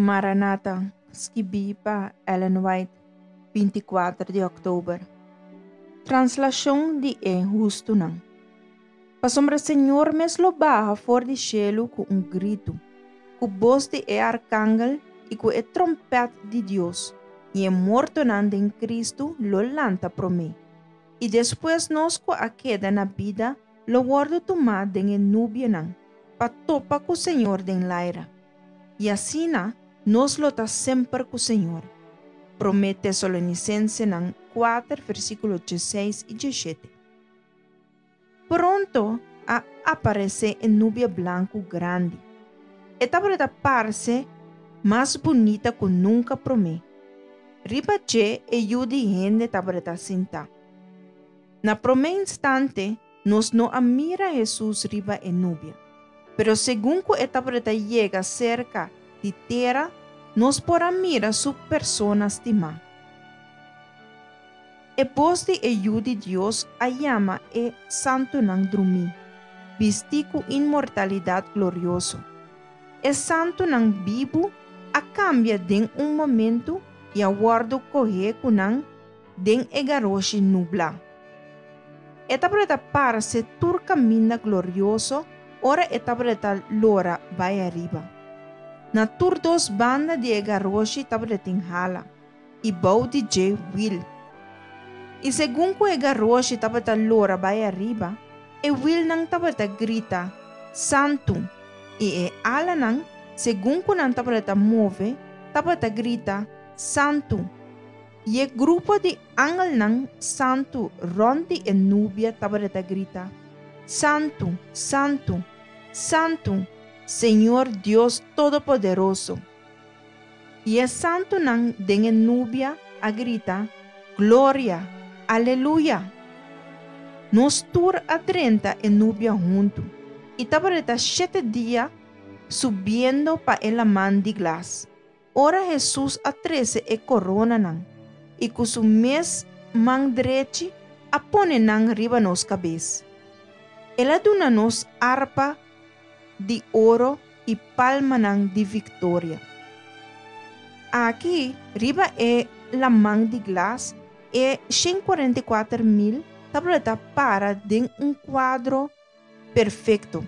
Maranata, skibí pa Ellen White, 24 di òktober. Translashon di e hustunan. Pasobra Señor mes lo baha for di shelu ku un gritu, ku bos di e arkangel i ku e tròmpèt di Dios, i e mortonan den Kristu lo lanta promé. I despues nos ku a keda na bida lo wòrdu tumá den e nubianan, pa topa ku Señor den laira. I asina nos lo ta semper ku Señor. Promé Tesalonisensenan 4 versíkulo 16 i 17. Pronto a aparesé e nubia blanku grandi. E tabata parse mas bunita ku nunka promé. Riba dje e Yu di hende tabata sintá. Na promé instante nos no a mira Hesus riba e nubia. Pero segun ku e tabata yega serka di tera, nos por a mira su persona stimá. E bos di e Yu di Dios a yama e santunan drumí, bistí ku inmortalidat glorioso. E santunan bibu a kambia den un momentu i a wòrdu kohé ku nan den e garoshi nublá. E tabata parse tur kaminda glorioso ora e tabata lora bai ariba. Na tur dos banda di e garoshi tabatin hala, i bou di dje wil. I segun ku e garoshi tabata lora bai ariba, e wilnan tabata grita, Santu! I e alanan, segun ku nan tabata move, tabata grita, Santu! I e grupo di angelnan santu rònt di e nubia tabata grita, Santu, santu, santu, Señor Dios Todopoderoso! I e santunan den e nubia a grita, Gloria, Aleluya! Nos tur a drenta e nubia huntu, i tabata shete dia subiendo pa e laman di glas. Ora Hesus a trese e koronanan i ku su mes man drechi a pone nan riba nos kabes. El a duna nos arpa di oro i palmanan di viktoria. Aki riba e laman di glas e 144.000 tabata para den un kuadro perfekto.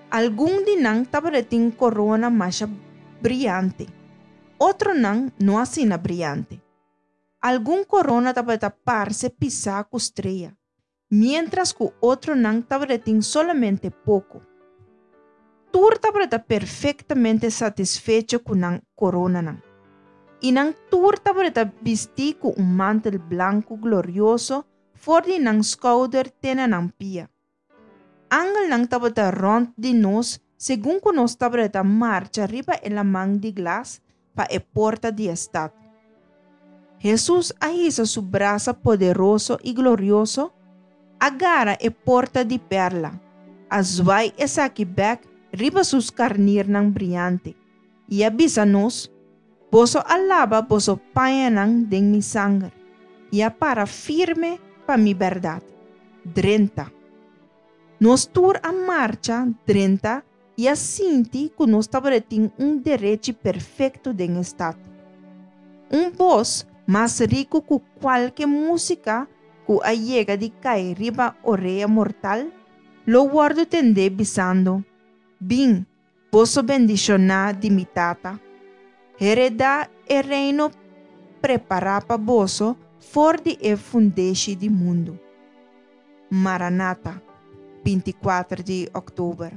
Algun di nan tabatin korona masha briante, otronan no asina briante. Algun korona tabata parse pisá ku strea, miéntras ku otronan tabatin solamente poko. Tur tabata perfektamente satisfecho ku nan koronanan. I nan tur tabata bistí ku un mantel blanku glorioso for di nan skouder te na nan pia. Angelnan tabata rònt di nos segun ku nos tabata marcha riba e laman di glas pa e porta di e stat. Hesus a hisa su brasa poderoso i glorioso, a gara e porta di pèrla, a zwai esaki bèk riba su skarnirnan briante, i a bisa nos, Boso a laba boso pañanan den mi sanger, i a para firme pa mi bèrdat. Drenta. Nos tur a marcha drenta i a sinti ku nos tabatin un derechi perfekto den e stat. Un bos mas riku ku kualke músika ku a yega di kai riba orea mortal lo wòrdu tendé bisando, Bin, boso bendishoná di mi Tata. Heredá e reino prepará pa boso for di e fundeshi di mundu. Maranata, 24 di òktober.